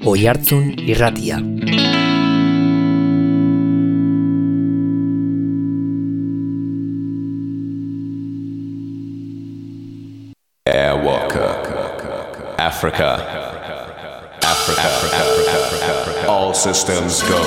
Oihartzun Irratia. Airwalker, Africa, all systems go.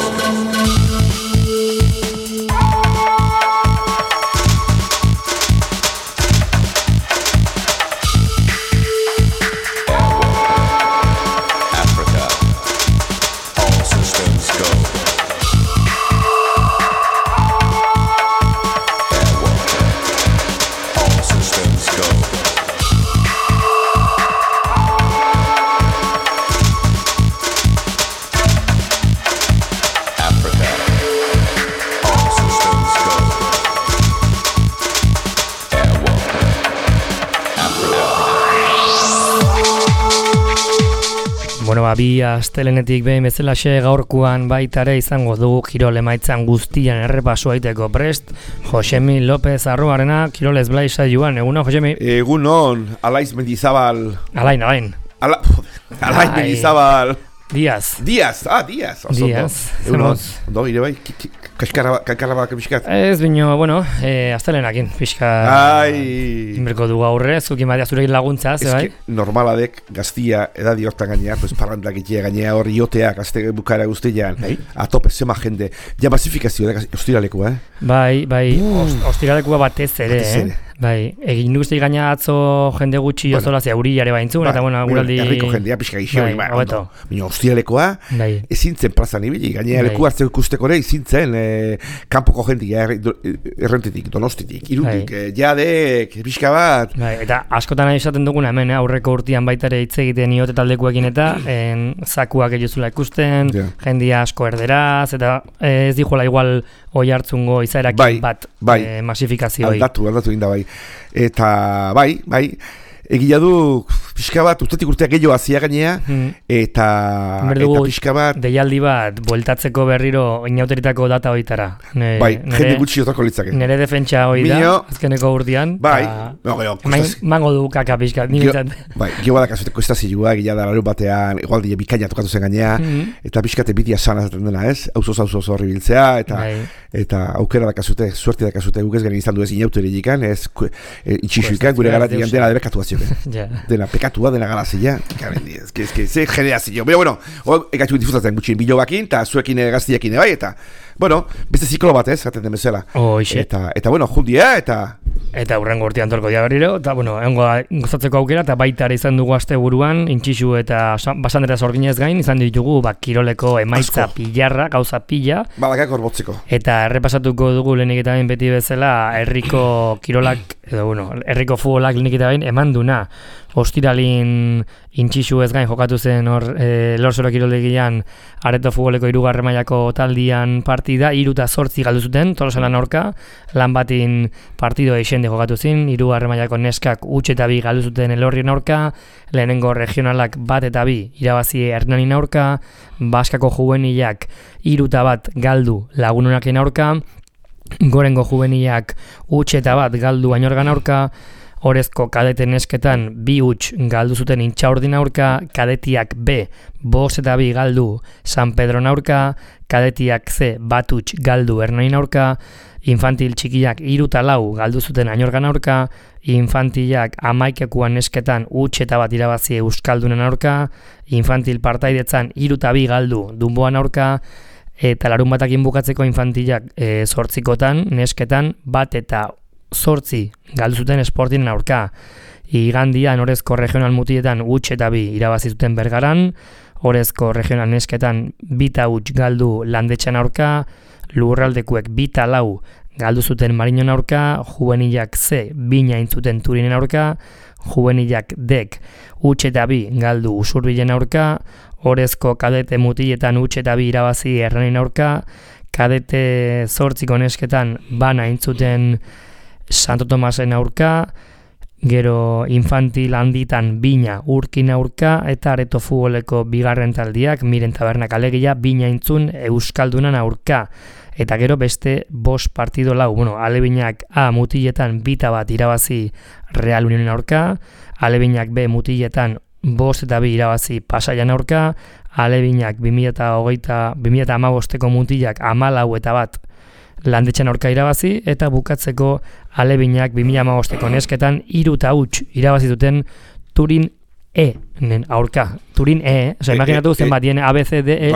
Bi astelenetik behin bezalaxe gaurkoan baita ere izango dugu kirol emaitzan guztian errepaso egiteko prest Josemi López Arruarena, kirolez blai saioan. Egunon, Josemi? Egunon, Alaiz Mendizabal. Alain. Alaiz Mendizabal. Díaz. Díaz. Egunon, ondo, ire bai, kaskarrabak pixkat. Ez bino, bueno, astelenakin pixka inberko du gaurre, zuki madia zurekin laguntza, ze bai? Normaladek gaztia edadi hortan gainea, pues parrandak itea gainea hor ioteak, azte bukara guztian, atope, zema jende, ja basifikazio da, ostiralekua, Bai, ostiralekua batez ere, Bai, egin guzti gaina atzo jende gutxi ozola zeuriare baintzun, eta bueno, guraldi... Herriko jendea pixka gixo, baina ostiralekoa, ezintzen plazan ibili, gaina leku hartzeko ikusteko ere, ezintzen kanpoko jendia, errentetik, donostitik, irutik, jadek, pixka bat... Bai, eta askotan nahi esaten duguna hemen, aurreko urtean baita ere hitz egiten iote taldekuekin eta zakuak egizula ikusten, jendia asko erderaz, eta ez dijola igual oihartzungo izaerakin bat masifikazioa. Aldatu egin da bai. Eta bai, egia du pixka bat, ustetik urteak gehiago hazia gainea, eta pixka bat... Deialdi bat, bueltatzeko berriro inauteritako data hoitara. Jende gutxi otako litzake. Nere defentsa hoi da, azkeneko urtean. Mango du kaka pixka, niretzat. Gio badakazute kostazioa, egia da larun batean, igualdi bikaina tokatu zen gainea, eta pixkate bitia sana zaten dena, ez? Auzoz horri biltzea, eta aukera dakazute, suerte dakazute, guk ez garen izan du ez inauterikan, ez itxixuikan, gure garatian dela debekatu dena pekatua, dena galazia, ze generazio. Bueno, egatxu difuzatzen gutxin bilobakin, eta zuekin gaztiekin bai, eta, bueno, beste ziklo bat ez, gaten den bezala. Eta, bueno, jundia, eta hurrengo urtean tolko dia berriro, eta, bueno, gozatzeko aukera, eta baita ere izan dugu aste buruan, intxixu eta basandera zorginez gain, izan ditugu, kiroleko emaitza pilarra, gauza pila. Badakak horbotzeko. Eta errepasatuko dugu lehenik eta bain beti bezala, herriko kirolak, edo, bueno, herriko futbolak lehenik eta bain eman duna. Ostiralin intxixu ez gain jokatu zen hor Lorzoro kiroldegian Areto futboleko 3. mailako taldian partida 3-8 galdu zuten Tolosalan aurka, lan batin partido eixende jokatu zen 3. mailako neskak 8-2 galdu zuten Elorrien aurka, lehenengo regionalak 1-2 irabazi Hernanin aurka, Baskako juvenilak 3-1 galdu Lagunonaken aurka, Gorengo juvenilak 8-1 galdu Añorgan aurka, Orezko kadete nesketan 2 galdu zuten Intxaurdin aurka, kadetiak B 5-2 galdu San Pedron aurka, kadetiak C 1 galdu Hernain aurka, infantil txikiak 3-4 galdu zuten Añorgan aurka, infantilak 11 nesketan 8-1 irabazi Euskaldunen aurka, infantil partaidetzan 3-2 galdu Dunboan aurka, eta larun batakin bukatzeko infantilak 8 nesketan 1-8 galdu zuten Sportinen aurka. Igandian Orezko regional mutietan 8-2 irabazi zuten Bergaran, Orezko regional nesketan 2-8 galdu Landetxan aurka, Lurraldekuek 2-4 galdu zuten Mariñon aurka, juvenilak C 2 zuten Turinen aurka, juvenilak Dek 8-2 galdu Usurbilen aurka, Orezko kadete mutietan 8-2 irabazi Hernanin aurka, kadete 8 nesketan bana intzuten Santo Tomasen aurka, gero infantil handitan 2 Urkin aurka, eta Areto futboleko 2. taldiak Miren Tabernak alegia 2 intzun Euskaldunan aurka. Eta gero beste 5 partido lau, alebinak A mutiletan 2-1 irabazi Real Unionen aurka, alebinak B mutiletan 5-2 irabazi Pasaian aurka, Alebinak 2015ko mutilak 14-1 Landetxean aurka irabazi, eta bukatzeko Alebinak 2015ko nesketan 3-0 irabazi duten Turin nen aurka. Turin imaginatu zen bat dien ABCDE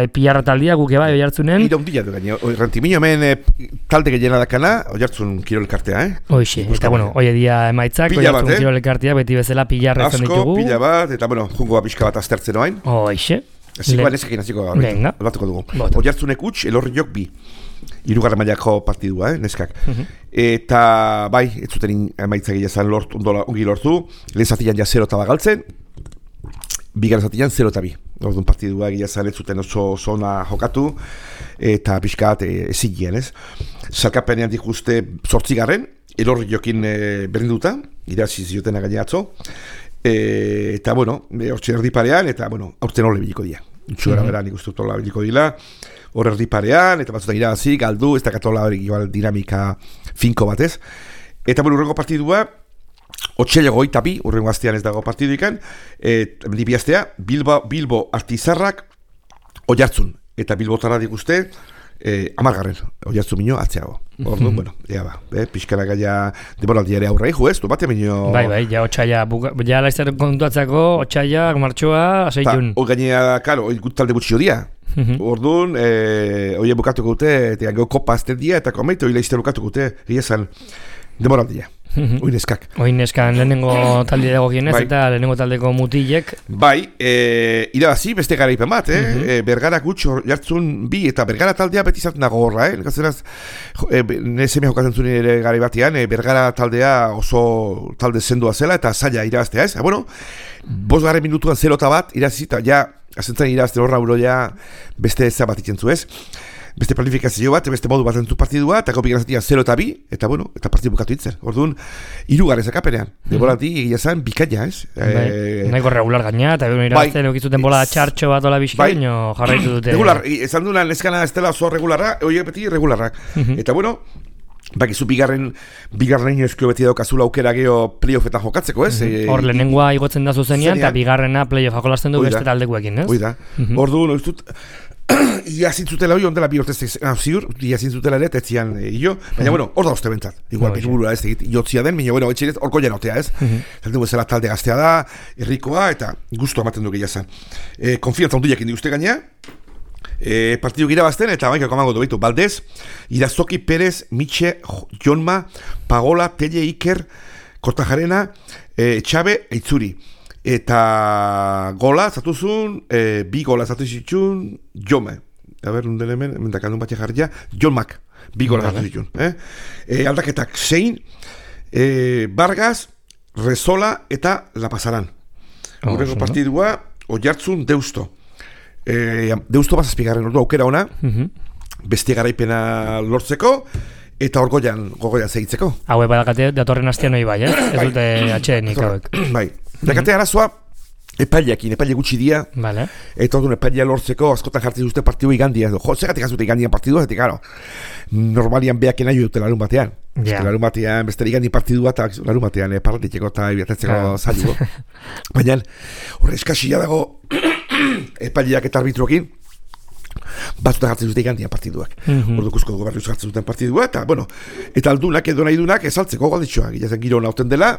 pillarra taldia guke bai oihartzunen. Iraundila du gaine, Rantimiño hemen talde gehiena dakana, oihartzun kirolkartea, Hoxe, eta hoie dia emaitzak, oihartzun kirolkartea, beti bezala pillarra ezan ditugu. Asko, pila bat, eta jungo pixka bat aztertzen oain. Hoxe. Zikoa nesekin aziko batuko dugu. Oihartzunek utx, Elorriok 2. 3. mailako partidua, neskak. Eta bai, ez zuten emaitza gehiazan ongi lortu. Lehen zatian ja 0 galtzen. Bigarren zatian 0-2. Orduan partidua gehiazan ez zuten oso zona jokatu. Eta pixkat ezigien, ez? Zalkapenean dikuste 8. Elorriokin berdinduta. Irazi ziotena gaine atzo. Eta, hortxe erdi parean, eta, aurten hori biliko dira. Itxugara beran ikustu tola biliko dira. Hor erdi parean, eta batzutak irabazi, galdu, ez dakatola hori dinamika finko batez. Eta, urrengo partidua, Otsaileko 22, urrengo astean ez dago partiduikan, dibiaztea, Bilbo Artizarrak Oihartzun. Eta Bilbotara dikuste, 10. Oihartzun minio atzeago. Orduan, ea ba, pixkara gaia demoraldi ere aurre ez, du bate minio... Bai, ja otsaila, ja laizzer kontuatzako, otsaila, martxoa, aseitun. Gainea, karo, talde gutxio dia. Orduan, oie bukatuko dute, eta gau kopa azten dia, eta komeitu, oile izte bukatuko dute, giezan demoraldia. Oineskak. Oineskan lehenengo talde dago gienez, eta lehenengo taldeko mutilek. Bai, irabazi, beste garaipen bat, Bergara gutxo jartzun 2, eta Bergara taldea beti zartzen dago horra, Gazeraz, neseme jokatzen zuen ere garai batean, Bergara taldea oso talde sendoa zela, eta zaila irabaztea, ez? 5. minutuan 0-1 irabazi, eta ja, azentzen irabazten horra uroia beste ez bat itzen zu, ez? Beste planifikazio bat, beste modu bat entzu partidua, eta bigarren zatia 0-2, eta eta partidu bukatu itzen. Orduan, 3. zakapenean. Deborati egia zan, bikaina, ez? Nahiko regular gaina, eta irabazten eukizuten bola txartxo bat ola bizkaino jarraitu dute. Regular, esan duna, neskana ez dela oso regularra, oie beti regularrak. Eta bakizu bigarren eskio beti daukazula aukera geho playoffetan jokatzeko, ez? Hor lehenengoa igotzen da zuzenean, eta bigarrena playoff jolasten du beste taldekuekin, ez? Oida. Orduan, iazintzutela hori ondela bi hortez ziur, iazintzutela ere, tetzian baina hor da uste bentzat. Igual, burura ez, jotzia den, baina etxerez horko jenotea, ez? Zalten bezala talde gaztea da, herrikoa, eta guztua ematen du gehiazan. Konfiantza onduiak indi uste gainea, partidu gira bazten, eta baina kamango dobitu, Baldez, Irazoki, Perez, Mitxe, Jonma, Pagola, Telle, Iker, Kortajarena, Txabe, Eitzuri. Eta gola zatuzun, 2 gola zatuzitxun, Jome. Nunden hemen dakandun batxe jarria, Jonmak, 2 gola zatuzitxun. Aldaketak, Sein, Vargas, Rezola eta La Pasaran. Horrego partidua, Oihartzun, Deusto. Deusto bazazpigarren ordu aukera ona, beste garaipena lortzeko, eta gogoian segitzeko. Haue badakate datorren astean hori bai, ez dute atxedenik hauek. Bai. Dakate arazoa, epaile gutxi dia, eta orduan epailea lortzeko askotan jartzen duzte partidu igandia. Zegatik azute igandian partidua, eta karo, normalian behaken nahi dute larun batean. Larun batean, beste igandi partidua, eta larun batean parratitzeko eta biatatzeko zailuko. Baina, horre eskaxia dago epaileak eta arbitroekin, batzuta jartzen dute igandian partiduak. Ordukuzko gobernu jartzen duten partidua, eta aldunak edo nahi dunak esaltzeko galditxoa. Gilazen giro nauten dela,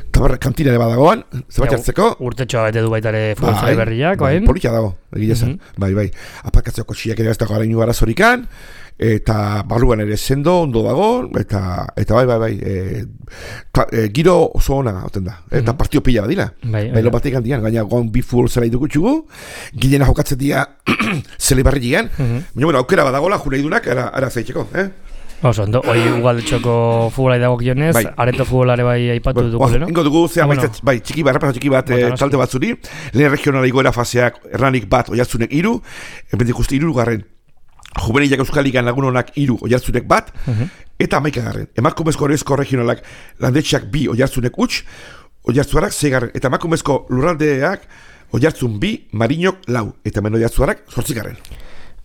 eta kantina ere badagoan, zebat jartzeko. Urtetxoa bete du baitare futbolzale berriak, politia dago, gilazen. Bai. Apakatzeko kotxiak ere ez dago arainu arazorikan, eta barruan ere sendo, ondo dago, eta bai, giro oso ona hauten da, eta partio pila badira. Bailo batek handian, gaina goan bi futbol zela idugu txugu, gilena jokatzen dira zele barri gian, baina aukera badagola, jure idunak, ara zeitzeko, Oso, hoi ugaldetxoko futbolai dago gionez, areto futbolare bai aipatu dugu, no? Ingo dugu, bai, txiki bat, talte batzuri, lehen regionala igoera faseak, erranik bat, Oihartzunek 3, bendik uste 3. Juvenilak Euskaligan lagun honak 3, Oihartzunek 1, eta 11. Emakumezko horrezko regionalak landetxeak 2, Oihartzunek huts, Oihartzuarak 6, eta emakumezko lurraldeak Oihartzun 2, Marinok 4, eta men Oihartzuarak 8.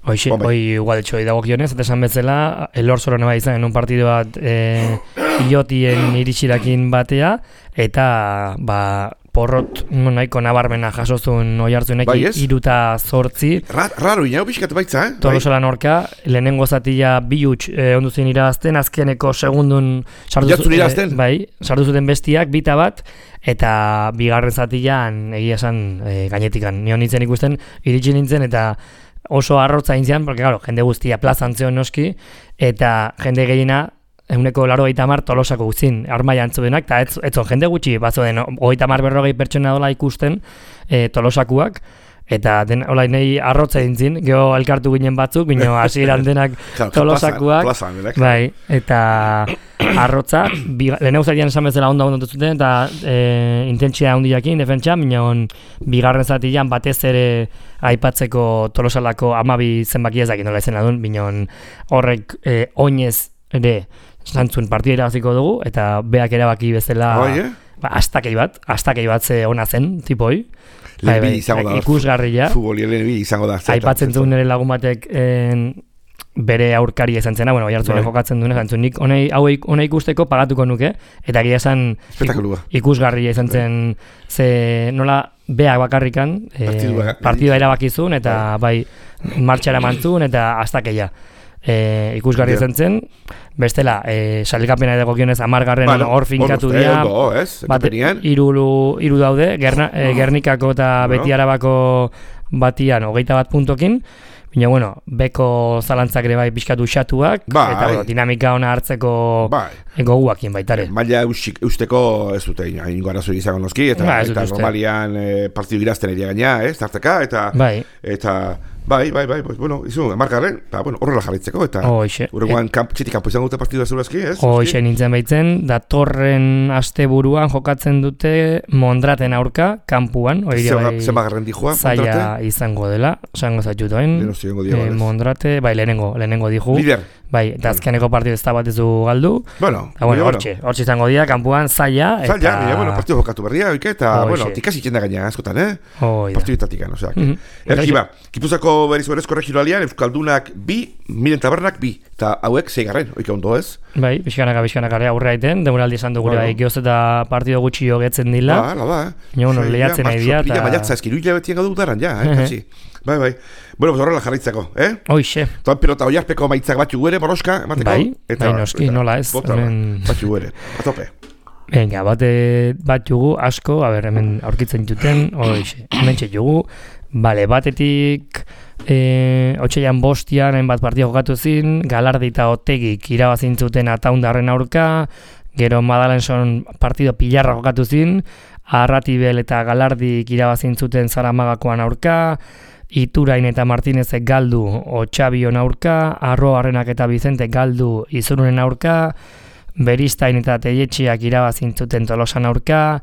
Hoxe, hoi ugaletxoi dago gionez, eta esan betzela, Elorzoron eba izan un partidu bat iotien iritsirakin batea, eta porrot nahiko nabarmena jasozun oihartzunek, bai, 3-8. Raro inau pixkat baitza, Tolosalan aurka, lehenengo zatia 2 ondu zen irabazten, azkeneko segundun sartu zuten bestiak, 2-1, eta bigarren zatian egia esan gainetikan. Nion nintzen ikusten, iritsi nintzen, eta oso arrotza intzian, porque claro, jende guztia plazan zeon noski, eta jende gehiena, 180 Tolosako guztin, armaia antzudenak, eta etzon jende gutxi, bazoen 30-40 pertsona dola ikusten Tolosakuak, eta hola nahi arrotza dintzin, geho elkartu ginen batzuk, bino hasieran denak Tolosakuak, bai, eta arrotza, lehenau zatian esan bezala ondo zuten, eta intentsia handiakin, defentsa, bino bigarren zatian batez ere aipatzeko Tolosalako 12 zenbaki ezakin nola izena duen, bino horrek oinez ere zantzun partida irabaziko dugu, eta beak erabaki bezala astakei bat ze ona zen, tipoi. Ikusgarria. Futboli izango da. Aipatzen duen nire lagun batek bere aurkaria izan zena, oihartzunen jokatzen duen, zantzun nik hona ikusteko pagatuko nuke, eta gira esan ikusgarria izan zen, ze nola beak bakarrikan partidua erabakizun, eta bai martxara mantzun, eta astakeia. Ikusgarri izan zen, bestela, sailkapena edo gokionez 10. hor finkatu dira, hiru daude, Gernikako eta Beti Arabako batian 21 puntokin, baina, bueno, beko zalantzak ere bai pixkatu xatuak, eta dinamika ona hartzeko goguakin baitare. Maila eusteko ez dute, ingo arazo izango noski, eta normalian partidu irazten eria gaina, tarteka, eta Bai, bueno, izun, markarren, horrela jarritzeko, eta urrengoan txitik kanpo izango dute partidua zeurazki, ez? Hoxe nintzen baitzen, datorren asteburuan jokatzen dute Mondraten aurka, kanpuan, Zenbagarren dijua, Mondrate? Zaila izango dela, esango zaitutoen, Mondrate, lehenengo diju. Lider. Bai, eta azkeneko partidu ez da bat ez du galdu. Hortxe izango dira, kanpuan zaila. Partidu jokatu berria, eta, tikasi txenda gaina askotan, partidu itatikan, oseak. Erkiba, Gipuzako berezko regionalian, Euskaldunak 2, Miren Tabernak 2, eta hauek 6, oika ondo ez? Bai, pixkanaka aurra egiten, demoraldi esan dugu bai, gehoz eta partido gutxi jogetzen dila. Lehiatzen nahi dira. Maiatza eskiru hilabetien gaudu daran, kasi. Bai. Bueno, horrela jarritzeko, Hoixe. Toan pelota oiarpeko maitzak batxu guere, boroska, emateko? Bai, noski, nola ez. Batxu guere, atope. Venga, bat jugu asko, hemen aurkitzen juten, hemen txetugu, batetik, otxeian bostian, hainbat partida jokatu zin, Galardi eta Otegik irabazin zuten Ataundarren aurka, gero Madalenson partido pilarra jokatu zin, Arratibel eta Galardik irabazin zuten Zaramagakoan aurka, Iturain eta Martinezek galdu Otxabion aurka, Arroarrenak eta Bizente galdu Izurunen aurka, Beristain eta Teietxiak irabazin zuten Tolosan aurka,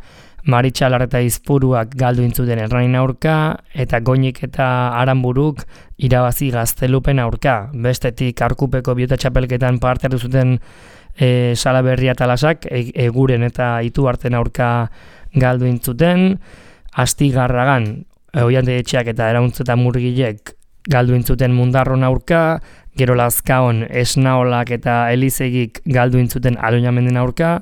Maritxalar eta Izpuruak galdu intzuten Errain aurka, eta Goñik eta Aranburuk irabazi Gaztelupen aurka. Bestetik Arkupeko bihota txapelketan parte hartu zuten Salaberria Talasak, Eguren eta Ituarten aurka galdu intzuten, Astigarragan, Oian Teietxiak eta Erauntz eta Murgilek galdu intzuten Mundarron aurka, gero Lazkaon Esnaolak eta Elizegik galdu intzuten Aloñamenden aurka,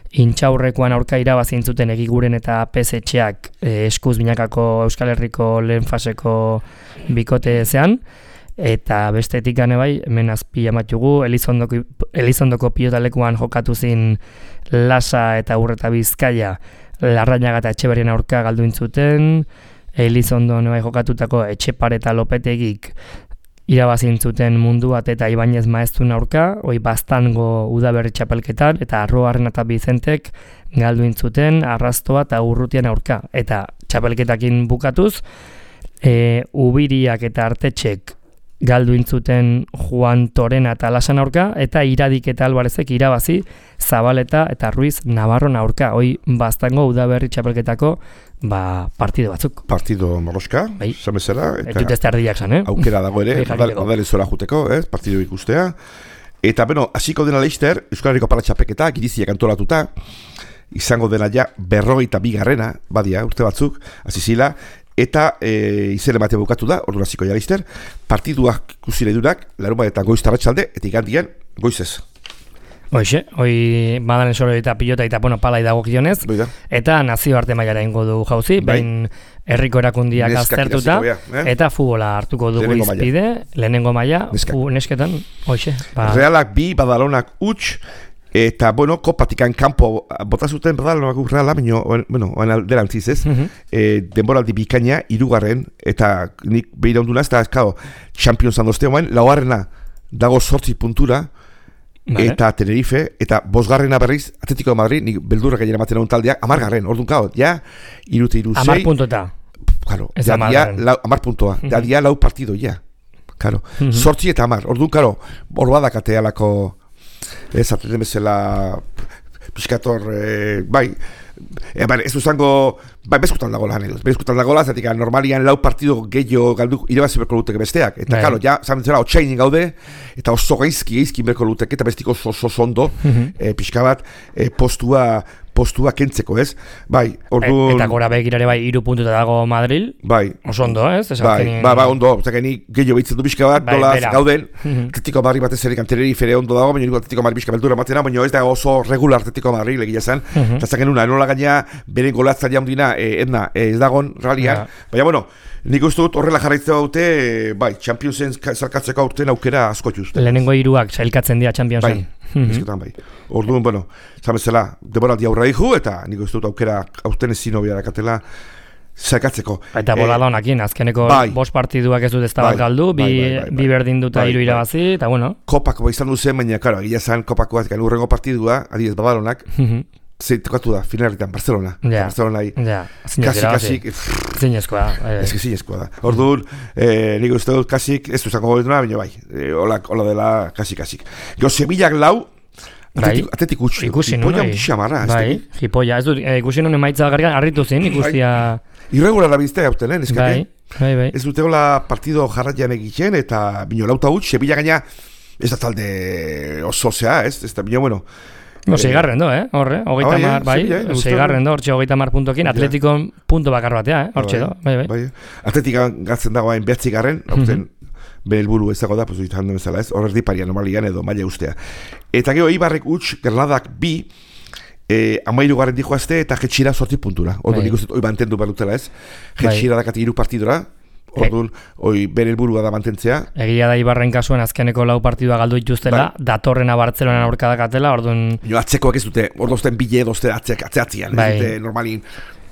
Intxaurrekoan aurka irabazi intzuten Egiguren eta Pezetxeak eskuz binakako Euskal Herriko lehen faseko bikote zean, eta bestetik gane bai, hemen azpi amatugu, Elizondoko pilotalekuan jokatu zin Lasa eta Urreta Bizkaia, Larrañaga eta Etxeberrien aurka galdu intzuten, Elizondo bai jokatutako Etxepare eta Lopetegik irabazin zuten Munduat eta Ibañez Maeztun aurka, Baztango udaberri txapelketan, eta Arroarren eta Bizentek galdu intzuten Arrastoa eta Urrutian aurka. Eta txapelketakin bukatuz, Ubiriak eta Artetxek galdu intzuten Juan Torena eta Lasan aurka, eta Iradik eta Albarezek irabazi Zabaleta eta Ruiz Navarron aurka. Baztango udaberri txapelketako partido batzuk. Partido morroska, zamezera. Eta ez erdiak zan, Aukera dago ere, odale zora juteko, partido ikustea. Eta, hasiko dena Leister, Euskal Herriko Paratxapeketa, giriziak antolatuta, izango dena ja 42. Badia, urte batzuk, azizila, eta izere matea bukatu da, ordu hasiko ja Leister, partiduak ikusi nahi durak, larunbatetan goiz tarratsalde, eta igandian goizez. Hoxe, hoi badalen solo eta pilota eta palai dagokionez, eta nazioarte mailara ingo du jauzi, behin herriko erakundiak aztertuta, eta futbola hartuko dugu izpide, lehenengo maila, nesketan, hoxe. Realak bi, Badalonak huts, eta, kopatikan kanpo bota zuten Badalonak Reala, alderantziz ez, denboraldi bikaina, 3. eta nik behira onduna, ez da, Champions andozte, laugarrena dago 8 puntura, eta Tenerife, eta 5. berriz, Atletico de Madrid, nik beldurrak egin ematen egun taldeak, 10. orduan kao, ja, 3-6. 10 puntota. Claro, ya 10 puntua, ya 4 partido, ya. Claro, 8 eta 10, orduan, claro, borbada katealako, ez atleten bezala, piskator, ez duzango, bezkutan dagoela, zatik, normalian 4 partido gehiago galdu, irabazi berko luteke besteak, eta, claro, ja, zabentzela, 8 gaude, eta oso gaizki berko luteke, eta bestiko oso ondo, pixka bat, postua kentzeko, ez? Orduan... Eta gora begirare 3 puntuta dago Madril, oso ondo, ez? Ondo, ni gehiago behitzen du pixka bat, dolaz, gauden, Atletico Madrid batez ere Tenerife ondo dago, baina Atletico Madrid pixka beldura matena, baina ez da oso regular Atletico Madrid egia zen, eta zaken una, enola gaina, beren golatzaia hundina, ez dagon, realian, baina, nik uste dut horrela jarraitzea dute, Championsen zarkatzeko aurten aukera asko juzte. Lehenengo 3 sailkatzen dira Championsen. Bizketan Orduan, zamezela, deboraldi aurra dihu, eta nik uste dut aukera aurten ezin hobia dakatela saikatzeko. Eta Boladonakin, azkeneko 5 partiduak ez dut ez da bat galdu, bi berdin duta 3 irabazi, eta Kopako izan duzen, baina, karo, egia zan Kopakoak, urrengo partidua, adibidez Badadonak, tokatu da, finaletan, Barcelona. Barcelonai, kasik, zinezkoa. Ez que zinezkoa da. Orduan, nik uste dut kasik, ez duzango gobetuna, baina hola dela kasik. Gero, Sevillak 4, Atletik utxu. Hipoia ondixia marra. Hipoia, ez dut, ikusi non emaitza gargan, harritu zen, ikustia... Irregular abiztea hauten, neskake? Bai. Ez dute hola partido jarratian egiten, eta bino lauta utx, Sevilla gaina, ez da talde oso zea, ez da bino, Seigarren do, horre, 30, seigarren do, hortxe 30 puntokin, Atletikon punto bakar batea, hortxe do, bai. Atletikan gatzen dagoen 9. horten, bere helburu ez dago da, pues handen bezala ez, horrez diparia normalian edo maila ustea. Eta gero, Eibarrek huts, Gernadak 2, 13 dijoazte, eta Jetxira 8 puntura. Orduan nik uste, hoi mantendu berutela ez, Jetxira dakati 3 partidora, orduan, bere helburua da mantentzea. Egia da Ibarren kasuen azkeneko 4 partidua galdu dituztela, datorrena Bartzelonan aurka dakatela, orduan... Atzekoak ez dute, orduan bile dozte atzeatzean, ez dute normalin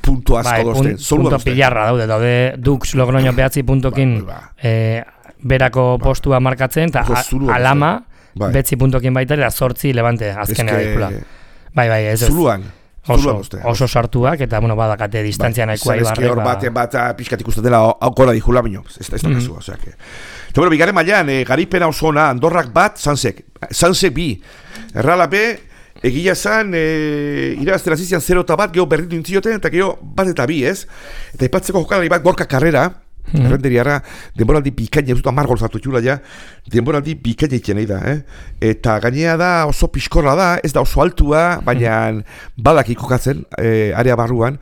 puntu asko dozten. Punto pilarra daude Dux Logroño 9 puntokin berako postua markatzen, eta Alama 9 puntokin baita, eta 8 Levante azkenea daikula. Bai, ez ez. Zuluan. Oso sartuak, eta badakate distantzia nahikoa Ibarrek. Hor bat pixkat ikusten dela aukora dijula, baino, ez da kasua, oseak. Eta bigarren mailan, garipena oso ona, Andorrak 1, Sansek 2. Errala B, egia zan, irabaztera zizian 0-1, geho berritu intzioten, eta geho 1-2, ez? Eta ipatzeko jokalari bat Gorka Carrera, errenderiara, denboraldi bikaina, ez dut 10 gol zartu txula ja, denboraldi bikaina itxen da, eta gainea da oso piskorra da, ez da oso altua, baina badak ikokatzen, area barruan,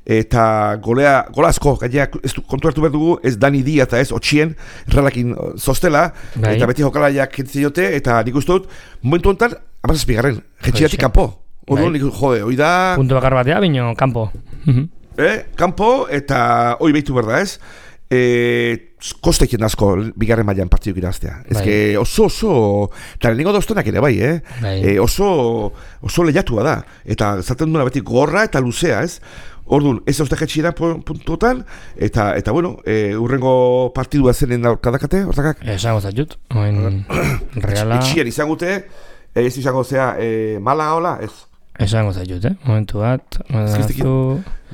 eta gola asko, gainea kontu hartu behar dugu, ez Dani Dia eta ez Otxien, erralakin zostela, eta beti jokalaiak kentzen jote, eta nik uste dut, momentu honetan, amazazpigarren, jetxiratik kanpo, hori da... Punto bakar batea, bino, kanpo. Kanpo, eta hori behitu berda ez, kosteiken asko bigarren mailan partiduk iraztea. Ez que oso, eta lehenengo doztenak ere bai, oso lehiatua da. Eta zaten duena beti gorra eta luzea, ez? Orduan, ez hauzte jetxira puntuotan, eta urrengo partidua zenen kadakate, hortakak? Esango zatut, reala... Etxian izangute, ez izango zea Malaga hola, ez? Esango zaitut, momentu bat.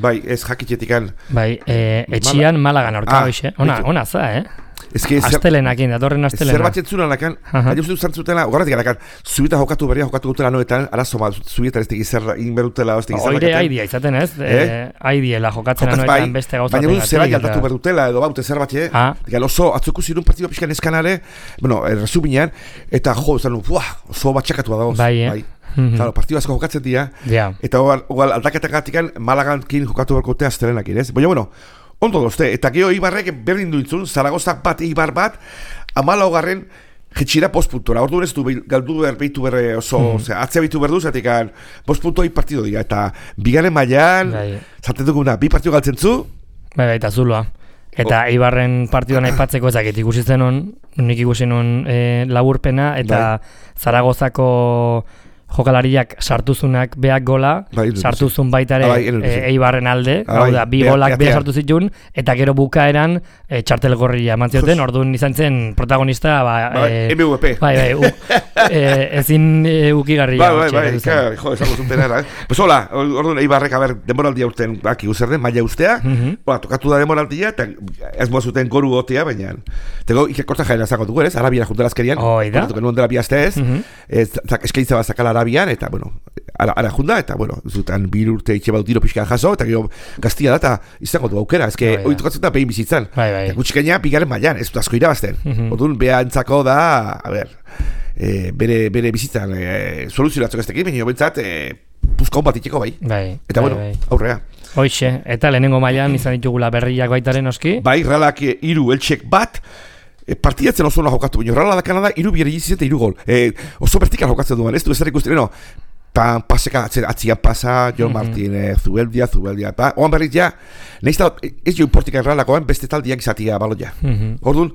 Bai, ez jakitxetikan. Bai, etxian Malagan aurka hoxe. Ona za, Astelenakin, datorren astelena. Zer batxetzuna nakan, baina uste zantzutela, ogarratik nakan, zubita jokatu dutela noetan, arazo ma, zubita ez tegi zer inberutela, ez tegi zer bakaten. Oire haidia izaten ez, haidiela jokatzen noetan beste gauzatik. Baina zer bai aldatu berdutela, edo baute zer batxe, oso atzuku zirun partidu pixkan eskanare, resuminean, eta zanu, oso batxakatua dago. Bai, Claro, partidu asko jokatzen dira, eta ogal aldaketagatik Malagankin jokatu berkote astelenakin, ez? Baina, ondo dozte, eta geho Ibarrek berdin duitzun, Zaragozak 1, Eibar 1, 14. jetxira postpuntora, orduan ez du galdu behitu berre oso, atzea behitu berdu, zatik postpuntoi partido dira, eta bigaren mailan, zaten duguna, bi partido galtzen zu? Bai, eta zuloa. Eta Eibarren partiduan aipatzeko ezakit ikusi zen nik ikusi non laburpena, eta Zaragozako jokalariak sartuzunak beak gola, sartuzun baitare Eibarren alde, da, bi golak beha sartu zituen, eta gero bukaeran txartel gorria eman zioten, orduan izan zen protagonista, MVP. Ezin ukigarria. Jo, esango zuten era. Pues hola, orduan Eibarrek, demoraldia urten, zer den, maila ustea, tokatu da demoraldia, eta ez moa zuten goru gotea, baina, tego, ikerkorta jaena zango dugu, ez? Arabiara juntelazkerian, kontatuko nuen dela biazte ez, eskaintza bat zakala Arabian, eta, bueno, ara junda, eta, bueno, zutan 2 urte itxe badu tiro pixkan jaso, eta gero gaztia da, eta izango du aukera, ezke, hori tokatzen da pehin bizitzan. Eta gutxikaina bigaren mailan, ez dut asko irabazten. Orduan, beha entzako da, bere bizitzan soluzionatzok ez tekin, baina bentsat, puzkaun bat itxeko bai. Eta, bueno, aurrea. Hoixe, eta lehenengo mailan izan ditugula berriak baitaren oski? Bai, Realak 3 Eltsek bat, partidatzen oso ona jokatu, baina Reala da Kanada 3 biarriziz eta 3 gol. Oso vertikal jokatzen duan, ez du ezer ikusten, paseka atzian pasa, John Martin, Zubeldia, oan berriz ja, nahiz da, ez jo importika Realakoan beste taldiak izatia baloia. Orduan,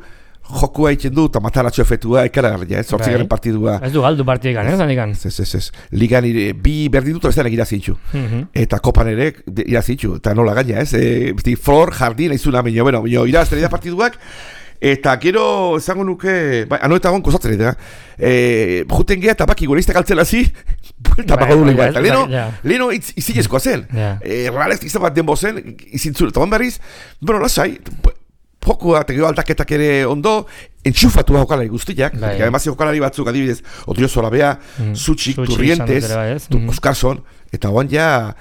jokua egiten du, eta mataratxo efektua, ekaragarria, zortzigaren partidua. Ez du galdu partidekan, ez? Ez. Ligan bi berdin dut, bestean irazitxu. Eta kopan ere irazitxu, eta nola gaina, ez? Flor, jardin, aizuna, bueno, irazten da partiduak, eta gero, esango nuke, eta gon kozatzen eta, juten geha eta baki goreiztak altzela zi, buelta bako du lehua, eta leheno izilezkoa zen. Realez izan bat denbo zen, izintzun, eta berriz, bueno, lasai, jokua eta gero aldaketak ere ondo, entxufatu jokalari guztiak, además jokalari batzuk adibidez, Odriozola bea, Zutxik, Turrientes, Oskarson, eta oan ja,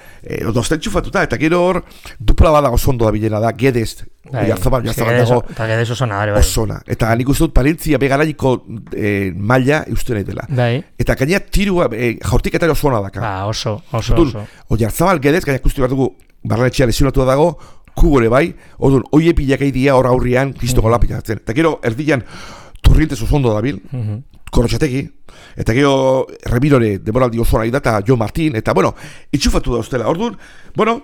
dozten entxufatuta, eta gero hor, dupla badago zondo da bilena da, Gedez, Oiarzabal dago, eta Gedez osona, osona, eta nik uste dut Palentzia begaraiko maila eusten nahi dela. Eta gaina tirua, jaurtik eta oso ona daka. Oso. Oiarzabal, Gedez, gaina ikustu behar dugu, barranetxea lesionatu dago, kubore bai, orduan, oie pilak egitea hor aurrian, kristoko lapitatzen. Eta gero, erdian, Turrientes oso ondo dabil, Korrotxategi, eta gero, Remirore, demoraldi oso nahi da, eta Jo Martin, eta, bueno, itxufatu da ustela. Orduan, bueno,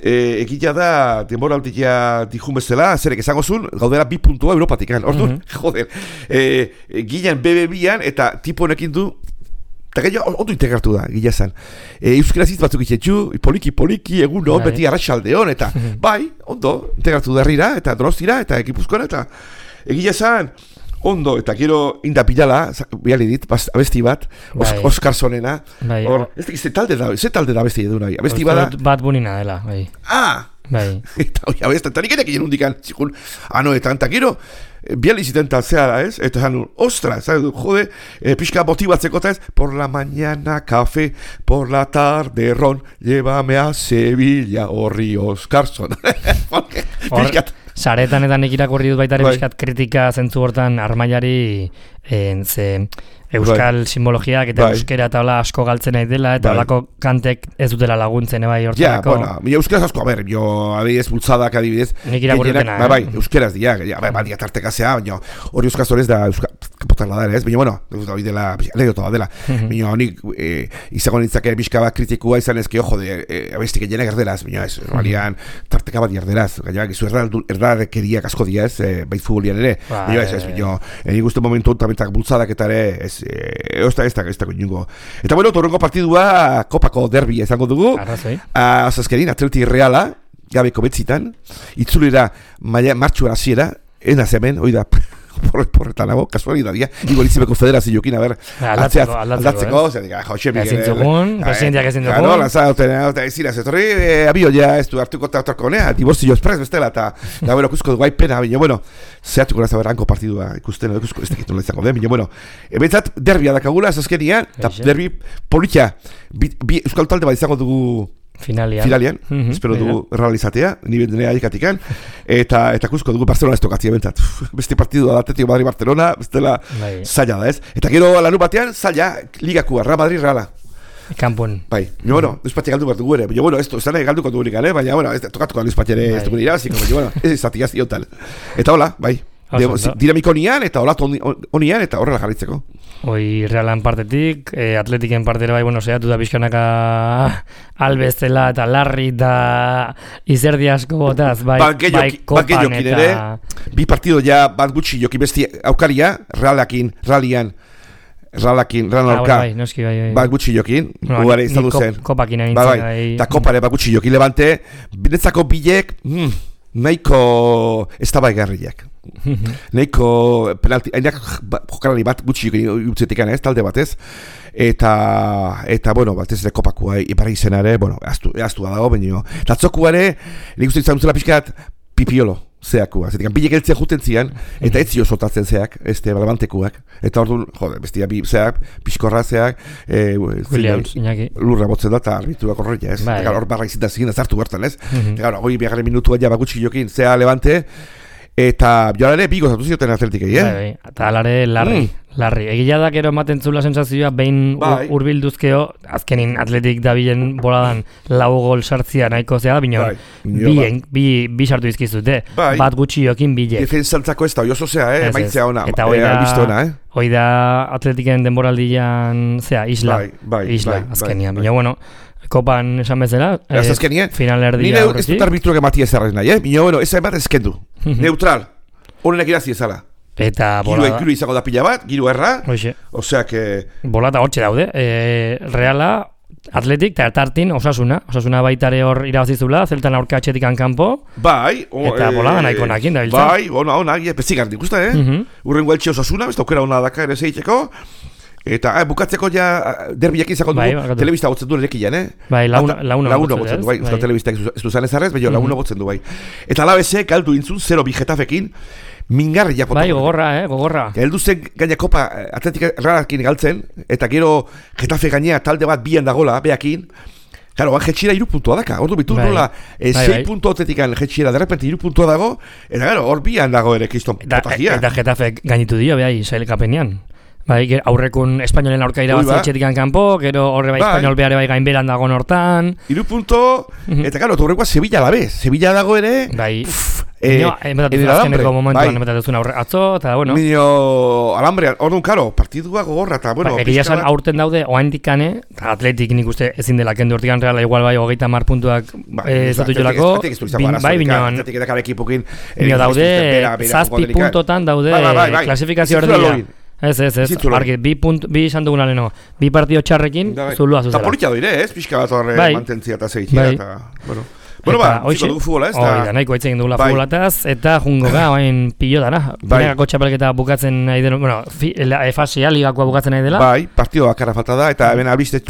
egia da, demoraldia dijun bezala, zerek esango zuen, gaudera 2 puntua Europatik, orduan, joder, gilean BB-an, eta tipo honekin du, eta gaino, ondo integratu da, gila zan. Euskaraz hitz batzuk itxetxu, poliki, egun beti arratsaldeon, eta bai, ondo, integratu da herrira, eta Donostira, eta Gipuzkoan, eta egia zan, ondo, eta gero indapilala, biali dit, abesti bat, Oskarsonena, ez talde da abesti edu nahi, abesti bada... Bat bunina dela, bai. Eta hori abesti, eta nik enek egin hundikan, zikun, eta gero, biali ziten talzea da, ez? Eta zan, ostra, jode, pixka motibatzeko eta ez, por la mañana café, por la tarde ron, llévame a Sevilla, horri Oskarson. Saretan eta nik irakurri dut baitare pixkat kritika zentzu hortan Armailari euskal simbologiak eta euskera eta hola asko galtzen nahi dela eta holako kantek ez dutela laguntzen bai hortarako. Ja, euskaraz asko, adibidez bultzadak adibidez. Nik irakurritena. Bai, euskaraz dira, badia tartekazea, baina hori euskaz horrez da kapotarla da, ez? Baina, bueno, hori dela, anekdota dela. Baina, honik izango nintzake pixka bat kritikua izan ezke, ojo, abestik egin erderaz, baina ez, normalian tarteka bat erderaz, gaina, gizu erdarrekeriak asko dira, ez, bait futbolian ere. Baina, ez, nik uste momentu tamentak bultzadak eta ere, ez da koinungo. Eta bueno, torrengo partidua kopako derbi izango dugu. Azazkerin, Atleti Reala, gabeko betzitan, itzulera martxuan hasiera, enaz hemen, oida, porretan nago, kasualidadia, igualizimeko federazioekin, aldatzeko, ezin zugun, presidenteak ezin dugun. Gano, lanzauten, ezira, zetorri, abio ja, ez du hartuko eta honea, diborzio espres bestela, eta bueno, kusko dugu aipena, baina, bueno, zehatuko naza berranko partidua ikusten, kusko ez tekitu izango den, baina, bueno, bentsat, derbia dakagula, azazkenian, eta derbi politia, euskal talde bat izango dugu Finalian, espero dugu realizatea, nire aikatikan, eta kusko dugu Barcelona ez tokatzia bentzat. Beste partidua da Atletico Madrid Barcelona, bestela zaila da ez. Eta gero lanu batean, zaila, ligakua, Real Madrid Reala. Kanpon. Bai, bueno, espatxe galdu bat dugu ere, baina, bueno, ez da galduko dugu baina, bueno, tokatuko da espatxe ere ez dugu irabaziko, baina, bueno, ez zatiaz iotal. Eta hola, bai. dinamiko honian eta olatu honian eta horrela jarritzeko. Hoi Realan partetik, Atletiken partera bai, saiatu da pixkanaka albezela eta larri eta izerdi asko botaz, bai kopan eta... Bi partido ja bat gutxi joki besti aukaria, Realian aurka, bat gutxi jokin, guare izan duzen. Kopakin egin zen, bai. Eta kopare bat gutxi jokin Levante, binetzako bilek, nahiko ez da baigarriak. Nahiko penalti, hainak jokalari bat gutxi jokin utzetik ez, talde batez. Eta bueno, batez ere kopakua, iparra izenare, aztu da dago, baina. Tatzokuare, nik uste izan duzela pixkat, pipiolo. Zeakua, zetik, bilek eltzea juten zian, eta ez zio soltatzen zeak, Levantekuak. Eta orduan, bestia bi zeak, pixkorra zeak, Williams, Iñaki. Lurra botzen da, eta arbituak horreia, ez? Eta hor barra izintan zigin, azartu bertan, ez? Eta hori biagaren minutua ja bakutsi jokin, zea Levante, eta joalare bi gozatu zioten Atletikei, Eta alare larri. Egia da gero ematen zula sensazioa, behin urbilduzkeo, azkenin Atletik dabilen boladan 4 gol sartzia nahiko zea, bino bi sartu izkizute, bat gutxi jokin bilek. Defensantzako ez da, oso zea, maitzea ona, eta hoi da Atletiken denboraldian, zea, isla, azkenian, bino, Kopan esan bezala, final erdia horretik. Nire ez dut arbitruak ematia ezarrez nahi, bino, ez bat ezkendu, neutral, honenak irazi ezala. Eta bolada. Giru izango da pila bat, giru erra. Osea que... Bolada hortxe daude. Reala, Atletik, eta tartin Osasuna baitare hor irabazizula, zeltan aurka atxetikan kanpo. Bai. Eta bolada nahiko nakin da biltzen. Bai, onak, pezigartik, usta, Urrengo eltxe Osasuna, besta aukera hona daka ere zeiteko. Eta bukatzeko ja derbiak izako dugu, telebista gotzen du lekian, Bai, launa gotzen du, bai, Euskal Telebistak ez du zanez arrez, baina launa gotzen du, bai. Eta alabezek galdu intzun, 0-2 Getafekin, mingarri jakotu. Bai, gogorra. Heldu zen gaina kopa Atletik Realakin galtzen, eta gero Getafe gainea talde bat bian dagola, beakin, claro, jetxira 3 puntua daka, ordu bitu nola 6 puntu Atletikan jetxira, de repente 3 puntua dago, eta gero, hor bian dago ere kriston potajia. Eta Getafe gainitu dio, behai, sailkapenean. Bai, aurrekun Espainolen aurka irabazi etxetikan kanpo, gero horre bai Espainol behare bai gainberan dago hortan. 3 punto, eta gero, horrekoa Sevilla labe, Sevilla dago ere. Bai, azkeneko momentuan emetatuzun atzo, eta bueno. Nino alambrean, orduan, karo, partidua gogorra, eta bueno. Egia esan aurten daude, oaindikane, eta Atletik nik uste ezin dela kendu hortikan Reala, igual bai, 30 puntuak zatu jolako. Bai, binean, daude, 7 puntotan daude, klasifikazio erdia. Ez, argi, bi izan duguna leno, bi partido txarrekin, zulua zuzera. Eta politia doire, ez? Pixka bat horre mantentzia eta zeitzia, eta, bueno, ziko dugu futbola, ez? Hori da, nahiko eitzen dugula futbolataz, eta jungo ga, hain pilo dara. Negako txapelketa bukatzen nahi dela, fasia ligakoa bukatzen nahi dela. Bai, partido bakarra falta da, eta hemen albizte,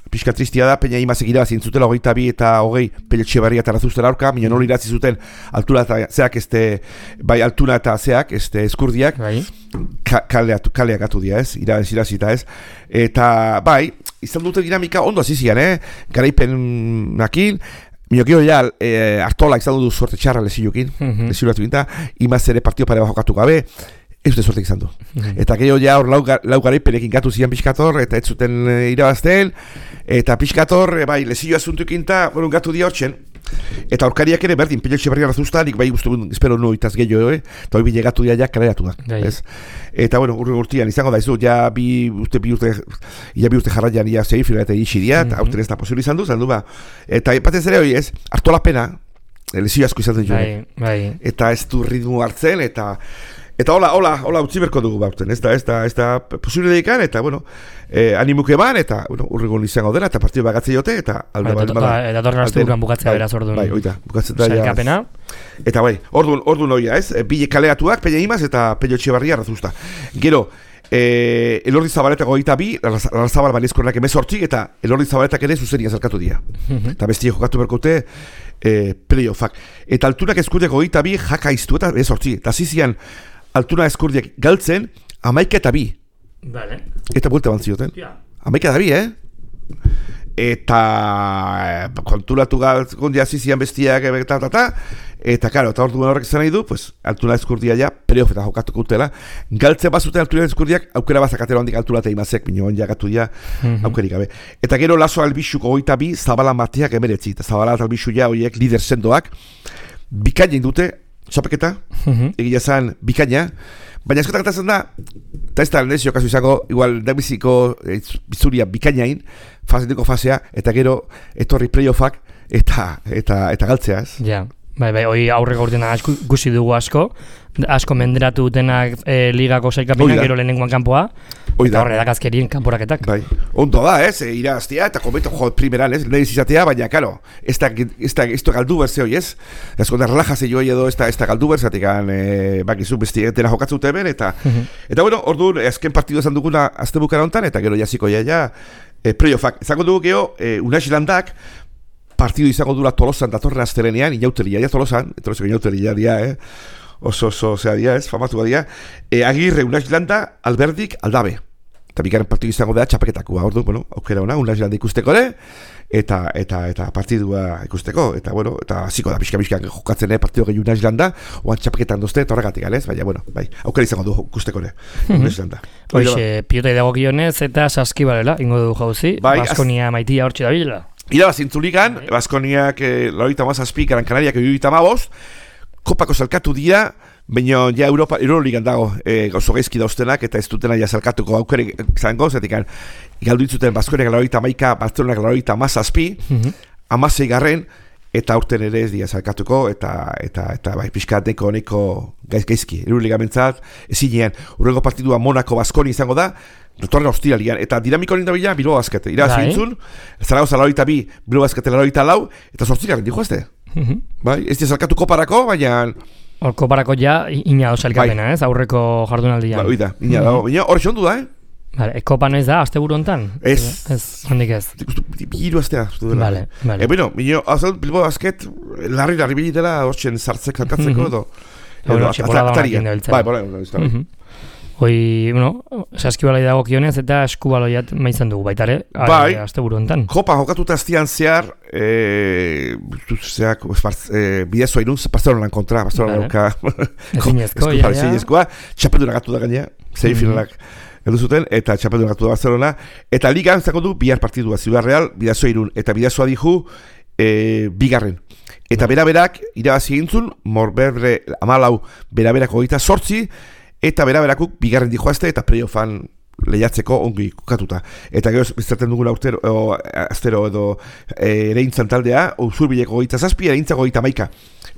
pixka tristia da, peina imazek irabazin zutela 22 eta 20 Pello Etxebarria eta Razuztela aurka, minio noli iratzi zuten altura eta zeak, bai altuna eta zeak, eskurdiak, kaleak atu dira, ez, irazita, ez, eta, bai, izan duten dinamika ondo azizian, garaipen nakin, minokio ja, Artola izan du suerte txarra leziokin, lezioatu ginta, imaz ere partio pare bajokatu gabe, ez dute suertek izan du. Eta gehiago ja hor lau garaipenekin gatu zian pixkator, eta ez zuten irabazten, eta pixkator, bai, lezioa zuntukinta, gatu dia hortzen, eta aurkariak ere berdin, Pello Etxebarria Razuzta, nik bai guztu, espero noitaz gehiago, eta hori bile gatu dia ja kaleratu da. Eta, bueno, urtean izango da, ja bi urte jarraian ia zeifila eta itxi dia, eta aurten ez da posible izan du, ba. Eta batez ere hori ez, Artola pena, lezio asko izan zen joan. Eta ez du ritmo hartzen, eta hola utzi berko dugu bauten, ez da posible dedikan, eta, bueno, animuke ban, eta, bueno, urregon izango dela, eta partidu bagatzea jote, eta alde bat. Eta torren astu bukan bukatzea beraz orduan. Bai, oita, bukatzea da. Sailkapena. Eta bai, orduan oia, ez, bile kaleatuak, Peña Imaz, eta Pello Etxebarria Razuzta. Gero, Elordi Zabaleta 22, Larrazabal Banezkornak 18, eta Elordi Zabaletak ere zuzenia zerkatu dira. Eta bestia jokatu berkote, playoffak. Eta altunak eskurdiak 22, jaka iztu eta 18. Eta zizian, altuna eskurdiak galtzen, 11 Vale. Eta buelta bantzioten. 11 Eta kontulatu gondia zizian bestiak eta karo, eta orduan horrek zen nahi du, pues, altuna eskurdia ja, playoffeta jokatuko utela. Galtzen bazuten altuna eskurdiak, aukera bazakatera hondik altuna eta imazek, minioan jagatu ja, aukerik gabe. Eta gero Laso Albixuko 22, Zabala Mateak 19, eta Zabala eta Albixu ja horiek lider sendoak, bikainen dute, txapeketa, egia zan bikaina, baina askotan gertatzen da, eta ez da lehenzio kasu izango, igual dabiziko bizuria bikainain, fasea, eta gero etorri playoffak eta galtzeaz. Ja. Bai, hoi aurreko urtean gusi dugu asko menderatu dutenak ligako sailkapenak, gero lehenengoan kanpoa, eta horre dakazkerien kanporaketak. Bai, ondo da, iraztea, eta kometo primeran, lehiz izatea, baina, karo, ez da galdu berze hoi, ez? Ezko da relajase joi edo ez da galdu berzeatik, bakizu bestigentena jokatzen dute hemen, eta bueno, orduan, azken partidu esan duguna azte bukara hontan, eta gero jasiko playoffak. Ezango dugu geho, Unasilandak, partidu izango dura Tolosan datorren astelenean, inauteria, Tolosan, inauteria dia, oso dia, famatu dia, Agirre, Unaislanda, Alberdik, Aldabe. Eta bikaren partidu izango da txapeketakoa, ordu, bueno, aukera ona, Unaislanda ikusteko eta partidua ikusteko, eta bueno, eta hasiko da pixka jokatzen partidu gehi Unaislanda, oan txapeketan dozte, eta horregatik galez, baina, bueno, aukera izango du ikusteko Unaislanda. Hoxe, pilota idagokionez eta saskibalela, ingo du jauzi, Baskonia maitia hortxe da bilela. Irabazintzuligan, Baskoniak Laurita Mazazpi, Gran Canariak Eurita Mabos, kopako salkatu dira, baina ja Euroligan dago oso gaizki dauztenak, eta ez dutena ja salkatuko aukere zango, zetik galdu ditzuten Baskoniak Laurita Maika, Barcelonak Laurita Mazazpi, 16 eta aurten ere ez dira salkatuko, eta bai, pixkat neko gaizki, Euroligan bentzat, ezinean, urrengo partidua Monaco Baskoni izango da, Dotorren ostiralian, eta dinamiko hori dabila Bilbao Basket. Irazintzun, Zaragoza 82, Bilbao Basket 84, eta 8 dijo este. Bai, ez dira koparako, baina... Hor koparako ja, ina salkapena, ez, aurreko jardunaldian. Bai, oida, ina dago, baina hor xondu da, Vale, kopa noiz da, aste buru hontan? Ez. Handik ez. Hiru astea. Vale. Bueno, Bilbao Basket, larri bilitela, hortzen sartzek salkatzeko, edo... Txepolada honak indabiltzen. Bai, bola, Hoi, saskibalai dago kionez eta eskubaloiat maizan dugu baitare, azte buru enten. Kopa jokatuta aztian zehar, bidezoa inuz, Barcelonan kontra, Barcelonan ezinezkoa, txapeldura gatu da gainea, zei finalak edu zuten, eta txapeldura gatu da Barcelona, eta ligan zako du bihar partidua, Ciudad Real, bidezoa irun, eta bidezoa dihu, bigarren. Eta beraberak, irabazi egintzun, Morberre, Amalau, beraberako gita sortzi, eta beraberakuk bigarren dijoazte eta playoffan lehiatzeko ongi kukatuta. Eta gero bizarten dugula astero edo ereintzan taldea, Usurbileko 27, ereintzako 31.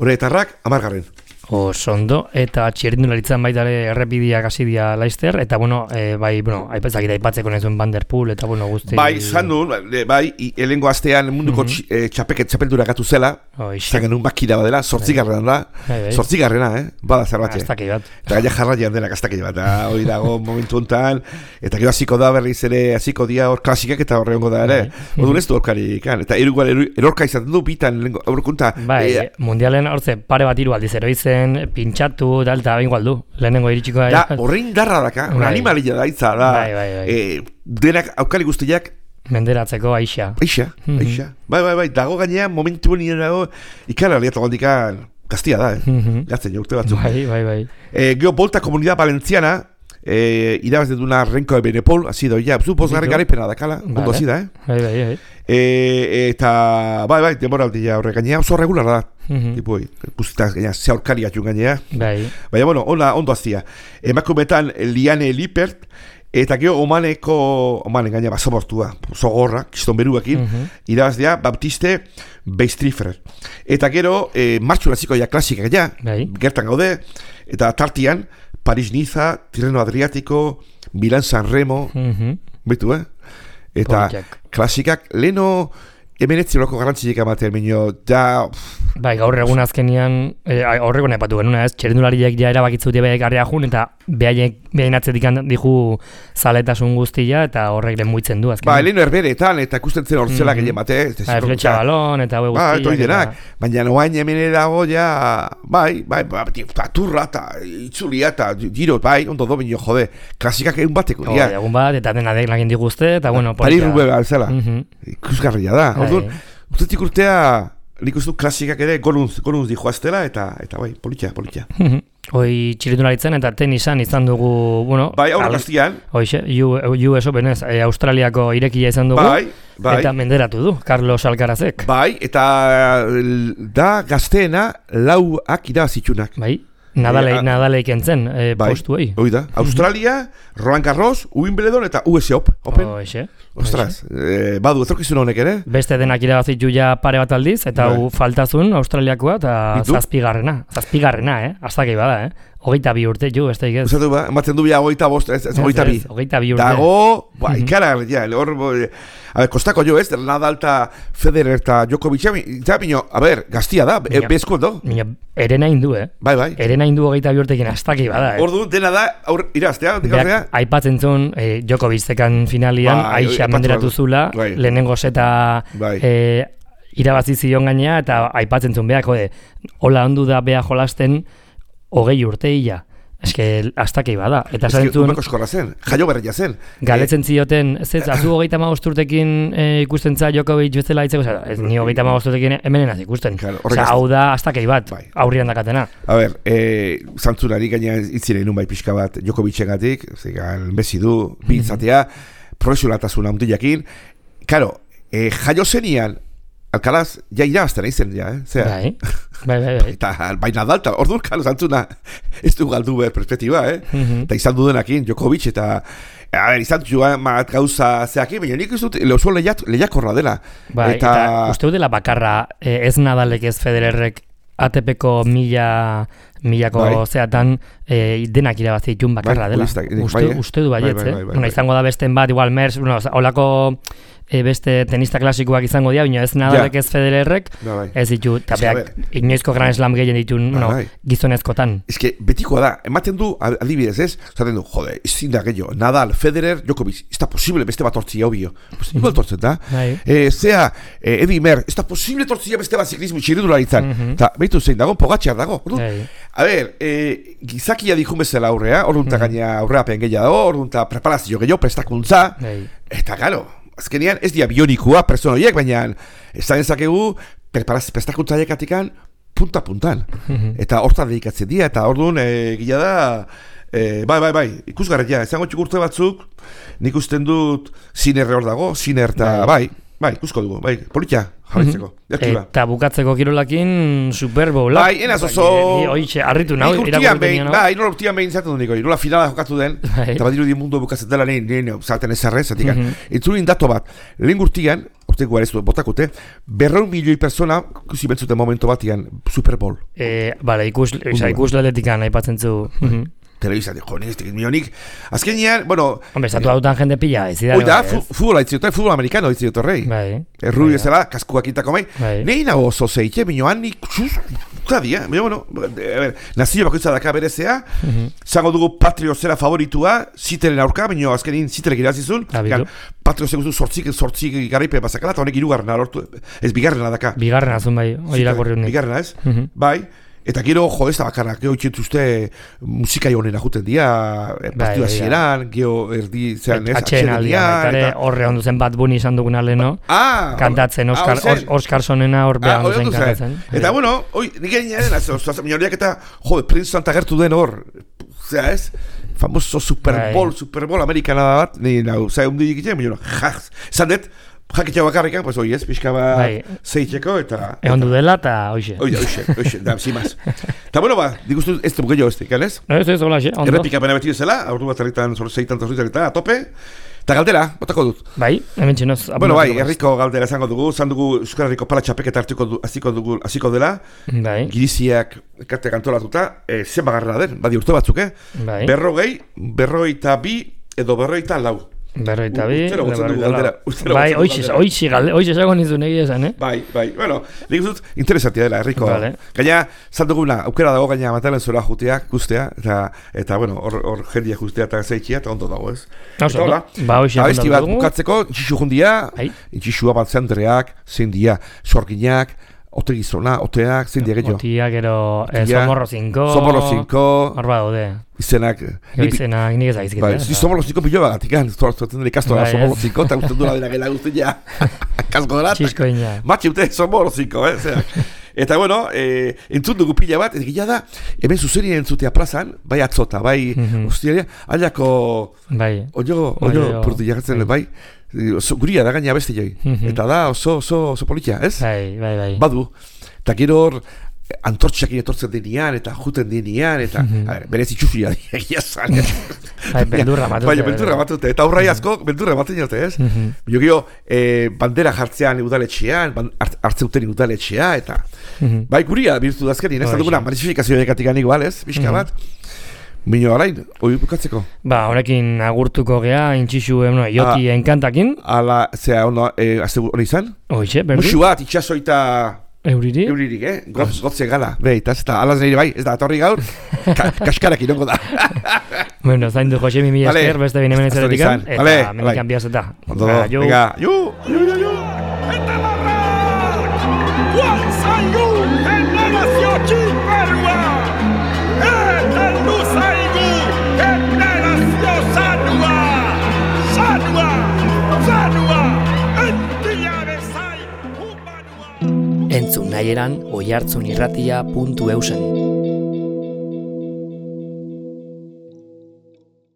Horretarrak 10. Osondo, eta txirrindularitzan baitare errepidiak hasi dira Leicester, eta aipatzeko nezuen Van der Poel, eta guzti... Bai, zandun, elengo astean munduko txapeldura gatu zela, zagen un bakida badela, 8 da, 8 bada zerbatxe. Aztakei bat. Eta gaia jarraian denak aztakei bat, hori dago momentu honetan, eta gero hasiko da berriz ere, hasiko dia hor klasikak eta horre hongo da ere, hori ez du horkarik, eta erorka izaten du, bitan aurrekunta. Bai, mundialen hortze pare bat hiru aldiz eroizen, pintxatu, eta bain gualdu, lehenengo iritsiko da. Da, horrein darra daka, animalia da itza, da. Denak aukali guztiak menderatzeko aixa. Bai, dago gainean, momentu nire dago, ikara liatu gandikan, gaztia da, gatzen jo, urte batzuk. Bai. Geo, Volta Comunidad Valenciana, irabaz duna Renko de Benepol, hasi doia, bosgarren garaipena dakala, ondo hasi da, Bai. Eta, bai, demoraldia horre gainea, oso regular da, tipoi, guztitaz gainea, zeaurkari atxun gainea. Baina, ondo azia. Emakumetan Liane Lippert, eta gero Omanen gainea basamortua, oso gorra, kiston beruakin, irabaz dira Baptiste Beistrifer. Eta gero, martxun aziko ja klasika gainea, gertan gaude, eta tartian, Paris-Niza, Tirreno Adriático, Milán-San Remo, betu, eta klasikak, leheno emenetziloko garrantzilik amaten minio, da... Bai, gaur egun azkenian, horreko nepatu genuna ez, txerendulariek ja erabakitzuti behar garria jun, eta behain atzetik dihu zaletasun guztia, eta horrek lemuitzen du azkenian. Ba, leheno erberetan, eta ikusten zen hortzela gehien bate. Fletxa balon, eta hue guztia. Toi denak, baina noain emene dago ja, bai, turra, eta itzulia, eta giro, bai, ondo do bineo, jode, klasikak egun bateko. Egun bat, eta dena lagin diguzte, eta bueno... Pari rube bat zela, ikusgarria da. Ustetik urtea nik uste klasikak ere goruntz dijoaztela, eta bai, politia. Hoi txirindularitzen eta tenisan izan dugu, bueno... Bai, aurra gaztian. Hoixe, US Open ez, Australiako irekia izan dugu. Bai. Eta menderatu du, Carlos Alcarazek. Bai, eta da gazteena lauak irabazitxunak. Bai. Nadaleik entzen postuei. Hoi da. Australia, Roland Garros, Wimbledon eta US Open. Ostras, badu etorkizun honek ere. Beste denak irabazitu ja pare bat aldiz, eta faltazun Australiakoakoa eta zazpigarrena. Aztakei bada, 22 urte ju, beste ikez. Uzatu ba, ematen du bia 22, 22. 22 urte. Dago, ikara, hor... A ver, kostako jo ez, Nadal eta Federer eta Djokovic, a ver, gaztia da, bezko do. Erena indu, Bai. Erena indu 22 urtekin aztakei bada, Ordu, dena da, iraztea, aipatzen zuen, Djokovic zekan finalian, aixa menderatu zula, lehenengo zeta irabazi zion gainea, eta aipatzen zuen beak, hola ondu da beha jolasten 20 urteia. Eske, aztakei bada. Eta zarentzun... Umeko zen, jaio berreia zen. Galetzen zioten, azu 35 urtekin ikusten za Djokovic bezala itzeko, ni 35 urtekin hemenenaz ikusten. Hau da, aztakei bat, aurrian dakatena. A ber, zantzunari gaina itzire nun bai pixka bat Djokovicen-gatik, bezi du, bintzatea, profesionaltasuna handiakin. Karo, jaio zenian, Alcaraz, ja irabazten izan, Bai. Eta bai Nadal, orduan, kalo, zantzuna, ez du galdu behar perspektiba, Eta izan dudenakin, Djokovic, eta izan duan gauza zeakin, baina nik ez dut, lehuzua lehiakorra dela. Bai, eta uste dela bakarra, ez Nadalek ez Federerrek ATP-ko milako zeatan denak irabazi ditun bakarra dela. Uste du baietz, izango da besten bat, igual Mers, holako beste tenista klasikoak izango dira, baina ez Nadalek ez Federerrek, ez ditu, eta beak inoizko Grand Slam gehien ditun gizonezkotan. Ez que betikoa da, ematen du, adibidez ez, zaten du, jode, ezin da gehiago, Nadal, Federer, Djokovic, ez da posible beste bat tortzia obio. Igual tortzen da. Zea, Eddie Mer, ez da posible tortzia beste bat ziklismo txirindularitzan. Eta behitu zein dago, Pogacar dago. A ber, gizakia dikun bezala aurrea, orduan gaina aurreapen gehiago dago, orduan preparazio gehiago, prestakuntza, eta gero, azkenean ez dia bionikua pertsona horiek, baina esan ezakegu prestakuntzaiek atikan punta-puntan. Eta hortan dedikatzen dira, eta orduan gila da, bai, ikusgarria, esango txukurte batzuk, nik usten dut Sinner hor dago, Sinner eta bai, ikusko dugu, politia, jarritzeko. Eta bukatzeko kirolakin Super Bowl. Bai, enaz oso... Oixe, arritu nahi, urtian behin zaten dut niko, nola finala jokatu den, eta badiru di mundu bukatzen dela nien zaten ezarrez, zatik. Itzulin dato bat, lehen urtian, urteko garezu botakute, 200 milioi persona ikusi bentzuten momento batian Super Bowl. Bale, ikusleletikan aipatzen zu... Telebizat, ez tekit milionik. Azkenean, bueno... Hombre, estatu hautan jende pila, ez da. Oita, futbola itziot, futbol amerikano itziot horrei. Errui ezela, kaskuak intako mai. Nei nago oso zeite, minioan nik... Zadia, bueno, nazio bakoitza daka berezea, zango dugu Patrio zera favoritua, Ziteren aurka, minio azkenin Ziterek irazizun, Patrio zegoezu sortzik garaipe bazakala, eta honek irugarrena lortu, ez bigarrena daka. Bigarrena zun bai, hori irakorri honik. Bigarrena ez, bai. Eta gero, ez da bakarrak, geho itxentuzte musikai honena juten dia, partioa zieran, geho erdi zean ez, atxeen aldian, horre ondu zen Bad Bunny izan dugun aleno, kantatzen, Oscarsonena hor beha ondu zen kantatzen. Eta bueno, nik egin minoriak eta, Princeton tagertu den hor, zera ez, famoso Super Bowl amerikana bat, zera hundik egiten, minoriak, zandet, jakitxea bakarrikan, pues oi ez, pixka bat zeitzeko eta... Egon du dela eta oixe. Oixe, da, zimaz. Eta bueno, dikustu ez dugu gehiago ez dik, ez? Ez, hola, ondo. Errepika pena beti ezela, aurdu bat erritan, zeitan eta a tope. Eta galdera, botako dut. Bai, hemen txinoz. Bueno, herriko galdera izango dugu, zan dugu Euskal Herriko pala txapeketa hasiko dela. Bai. Giriziak ekarte kantolatuta, zen bagarrera den, badi urte batzuk, Bai. 42 edo 44. Berroita bi, bai, oixe zago nizun egia esan, Bai, bueno, nik dut interesantia dela, herriko. Gaina, zalduguna, aukera dago gaina matalen zora juteak, guztea, eta bueno, hor jendia justea eta zeitxia, eta ondo dago, ez? Eta hola, ba, oixe abesti bat bukatzeko, intxixu jundia, intxixua bat zendreak, zein dia, sorginak, Otegizona, oteak, zein diagetxo? Otiak, gero, Somorro 5. Somorro 5. Hor daude. Izenak... Izenak nik ezagizkit. Bai, Somorro 5 pilo bagatik, zuatzen dira ikastoa Somorro 5, eta usten dura dira gela guzti ja. Kasko dara. Txisko ina. Matxe ute Somorro 5, zeak. Eta bueno, entzun dugu pila bat, eta gila da, hemen zuzerien entzutea plazan, bai atzota, bai ustiaria, aliako... Bai. Oio, purtu jagatzen, bai. Guria da gaina beste joi. Eta da oso politia, ez? Bai. Badu. Eta gero hor, antortxak etortzen denean, eta juten denean, eta berez itxufia egia zan. Beldurra matute. Bai, beldurra matute. Eta aurrai asko, beldurra maten jote, ez? Jo gero, bandera jartzean udaletxean, hartzeuten udaletxea, eta... Bai, guria birtu dazkenin, ez? Duguna, manififikazio dekatik igual, ez? Bizka bat. Mino arain, hori bukatzeko? Ba, honekin agurtuko gea, intxixu, joti enkantakin. Ala, zera, azte hori izan? Oixe, berdu. Muxu bat, itxasoita... Euririk? Euririk, Gotze gala. Ez da, alaz nire bai, ez da, atorri gaur, kaskarak inongo da. Bueno, zain du Josemi mila esker, beste bine menezaretik, eta menikan biazeta. Venga, yu! Eta marrak! Juan zaigu, generazio txiperua! Eta luzaigu, generazio zanua! Zanua! Entia bezai, humanua! Entzun nahieran oihartzunirratia.eusen